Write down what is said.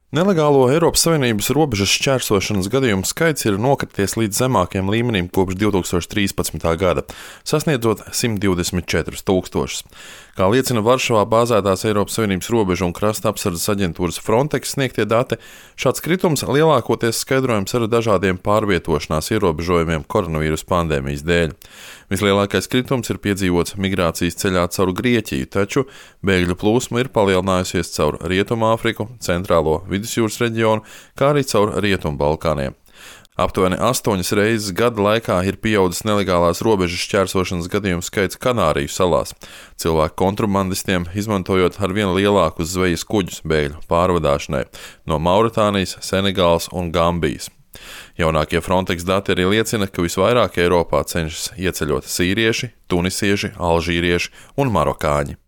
Nelegālo Eiropas Savienības robežas šķērsošanas gadījumu skaits ir nokrities līdz zemākajam līmenim kopš 2013. gada, sasniedzot 124 000. Kā liecina Varšavā bāzētās Eiropas Savienības robežu un krasta apsardzes aģentūras Frontex sniegtie dati, šāds kritums lielākoties skaidrojams ar dažādiem pārvietošanās ierobežojumiem koronavīrus pandēmijas dēļ. Vislielākais kritums ir piedzīvots migrācijas ceļā caur Grieķiju, taču bēgļu plūsma ir palielinājusies caur Rietumāfriku, Centrālo Vidusjūras reģionu, kā arī caur Rietumbalkāniem. Aptuveni 8 reizes gada laikā ir pieaudzis nelegālās robežas šķērsošanas gadījumu skaits Kanāriju salās, cilvēku kontrabandistiem izmantojot arvien lielākus zvejas kuģus bēgļu pārvadāšanai no Mauritānijas, Senegālas un Gambijas. Jaunākie Frontex dati arī liecina, ka visvairāk Eiropā cenšas ieceļot sīrieši, tunisieši, alžīrieši un marokāņi.